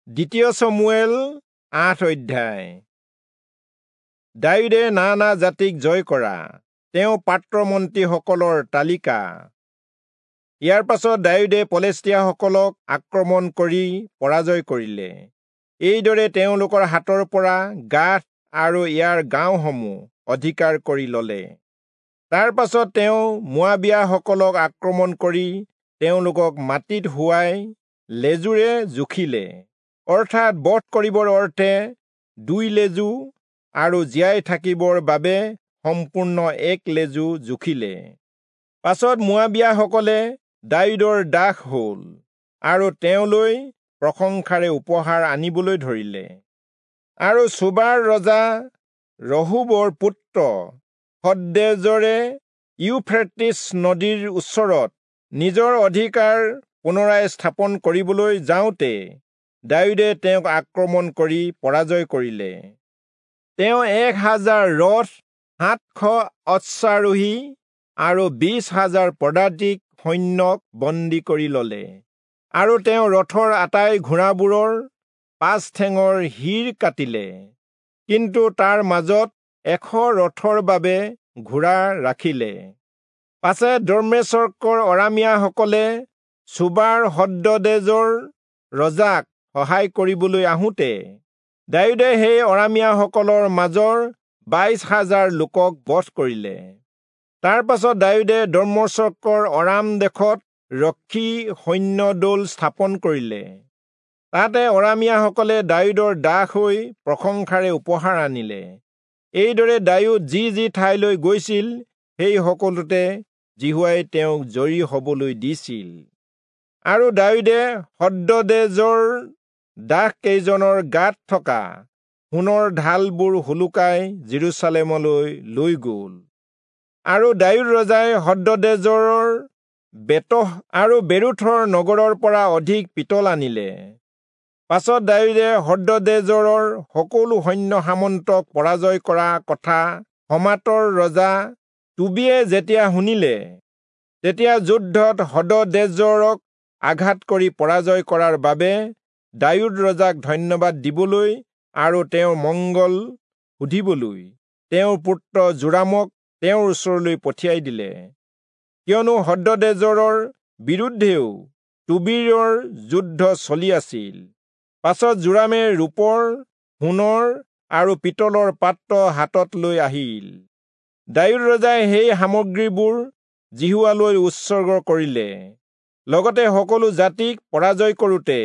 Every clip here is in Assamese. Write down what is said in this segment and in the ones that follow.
দ্বিতীয় চমূৱেল ৮ অধ্যায়। দায়ূদে নানা জাতিক জয় কৰা তেওঁ পাত্ৰমন্ত্ৰীসকলৰ তালিকা। ইয়াৰ পাছত দায়ূদে পলেষ্টীয়াসকলক আক্ৰমণ কৰি পৰাজয় কৰিলে। এইদৰে তেওঁলোকৰ হাতৰ পৰা গাথ আৰু ইয়াৰ গাঁওসমূহ অধিকাৰ কৰি ললে। তাৰ পাছত তেওঁ মোৱাবীয়াসকলক আক্ৰমণ কৰি তেওঁলোকক মাটিত শুৱাই লেজুৰে জুখিলে, অৰ্থাৎ বধ কৰিবৰ অৰ্থে 2 লেজু আৰু জীয়াই থাকিবৰ বাবে সম্পূৰ্ণ 1 লেজু জুখিলে। পাছত মোৱাবীয়াসকলে দায়ূদৰ দাস হল আৰু তেওঁলৈ প্ৰশংসাৰে উপহাৰ আনিবলৈ ধৰিলে। আৰু চোবাৰ ৰজা ৰহোবৰ পুত্ৰ হদদেজৰে ইউফ্ৰেটিছ নদীৰ ওচৰত নিজৰ অধিকাৰ পুনৰাই স্থাপন কৰিবলৈ যাওঁতে দায়ূদে তেওঁক আক্ৰমণ কৰি পৰাজয় কৰিলে। তেওঁ 1000 ৰথ, 700 অশ্বাৰোহী আৰু 20,000 পদাতিক সৈন্যক বন্দী কৰি ললে। আৰু তেওঁ ৰথৰ আটাই ঘোঁৰাবোৰৰ 5 ঠেঙৰ শিৰ কাটিলে, কিন্তু তাৰ মাজত 100 ৰথৰ বাবে ঘোঁৰা ৰাখিলে। পাছে দম্মেচকৰ অৰামীয়াসকলে চোবাৰ হদদেজৰ ৰজাক সহায় কৰিবলৈ আহোঁতে দায়ূদে সেই অৰামীয়াসকলৰ মাজৰ 22,000 লোকক বধ কৰিলে। তাৰ পাছত দায়ূদে দম্মেচকৰ অৰাম দেশত ৰক্ষী সৈন্যদল স্থাপন কৰিলে। তাতে অৰামীয়াসকলে দায়ূদৰ দাস হৈ প্ৰশংসাৰে উপহাৰ আনিলে। এইদৰে দায়ূদ যি যি ঠাইলৈ গৈছিল সেই সকলোতে যিহোৱাই তেওঁক জয়ী হবলৈ দিছিল। আৰু দায়ূদে হদদেজৰ দাস কেইজনৰ গাত থকা সোণৰ ঢালবোৰ সোলোকাই যিৰূচালেমলৈ লৈ গল। আৰু দায়ূদ ৰজাই হদদেজৰৰ বেতহ আৰু বেৰোথৰ নগৰৰ পৰা অধিক পিতল আনিলে। পাছত দায়ূদে হদদেজৰৰ সকলো সৈন্য সামন্তক পৰাজয় কৰা কথা হমাতৰ ৰজা টোবিয়ে যেতিয়া শুনিলে, তেতিয়া যুদ্ধত হদদেজৰক আঘাত কৰি পৰাজয় কৰাৰ বাবে দায়ূদ ৰজাক ধন্যবাদ দিবলৈ আৰু তেওঁৰ মংগল সুধিবলৈ তেওঁৰ পুত্ৰ যোৰামক তেওঁৰ ওচৰলৈ পঠিয়াই দিলে। কিয়নো হদদেজৰৰ বিৰুদ্ধেও টোবীৰৰ যুদ্ধ চলি আছিল। পাছত যোৰামে ৰূপৰ, সোণৰ আৰু পিতলৰ পাত্ৰ হাতত লৈ আহিল। দায়ূদ ৰজাই সেই সামগ্ৰীবোৰ যিহোৱালৈ উৎসৰ্গ কৰিলে। লগতে সকলো জাতিক পৰাজয় কৰোঁতে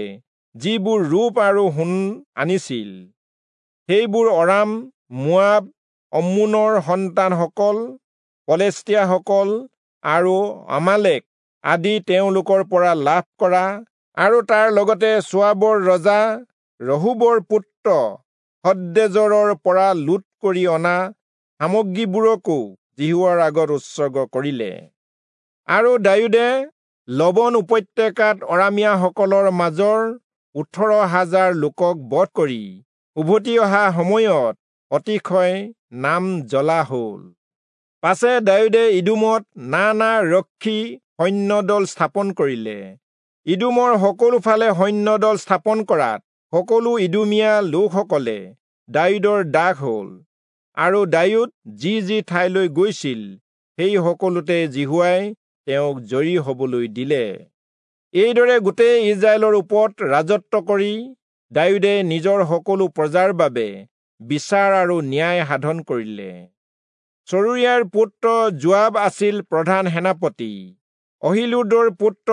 যিবোৰ ৰূপ আৰু সোণ আনিছিল, সেইবোৰ অৰাম, মোৱাব, অম্মোনৰ সন্তানসকল, পলেষ্টীয়াসকল আৰু আমালেক আদি তেওঁলোকৰ পৰা লাভ কৰা আৰু তাৰ লগতে চোৱাবৰ ৰজা ৰহোবৰ পুত্ৰ হদদেজৰৰ পৰা লুট কৰি অনা সামগ্ৰীবোৰকো যিহোৱাৰ আগত উৎসৰ্গ কৰিলে। আৰু দায়ূদে লবণ উপত্যকাত অৰামীয়াসকলৰ মাজৰ 18,000 লোকক বধ কৰি উভতি অহা সময়ত অতিশয় নাম জ্বলা হল। পাছে দায়ূদে ইদোমত নানা ৰক্ষী সৈন্যদল স্থাপন কৰিলে। ইদোমৰ সকলোফালে সৈন্যদল স্থাপন কৰাত সকলো ইদোমীয়া লোকসকলে দায়ূদৰ দাস হল। আৰু দায়ূদ যি যি ঠাইলৈ গৈছিল সেই সকলোতে যিহোৱাই তেওঁক জয়ী হবলৈ দিলে। এইদৰে গোটেই ইস্ৰায়েলৰ ওপৰত ৰাজত্ব কৰি দায়ূদে নিজৰ সকলো প্ৰজাৰ বাবে বিচাৰ আৰু ন্যায় সাধন কৰিলে। চৰুয়াৰ পুত্ৰ যোৱাব আছিল প্ৰধান সেনাপতি। অহিলুদৰ পুত্ৰ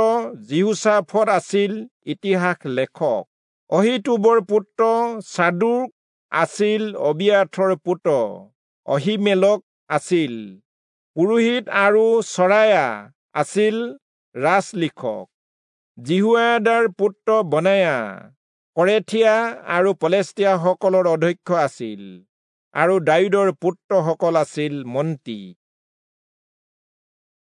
যিহোচাফট আছিল ইতিহাস লেখক। অহীটূবৰ পুত্ৰ চাদোক আছিল অবিয়াথৰ পুত্ৰ অহীমেলক আছিল পুৰোহিত আৰু চৰায়া আছিল ৰাজলিখক। যিহোয়াদাৰ পুত্ৰ বনায়া কৰেথীয়া আৰু পলেষ্টীয়াসকলৰ অধ্যক্ষ আছিল আৰু দায়ূদৰ পুত্ৰসকল আছিল মন্ত্ৰী।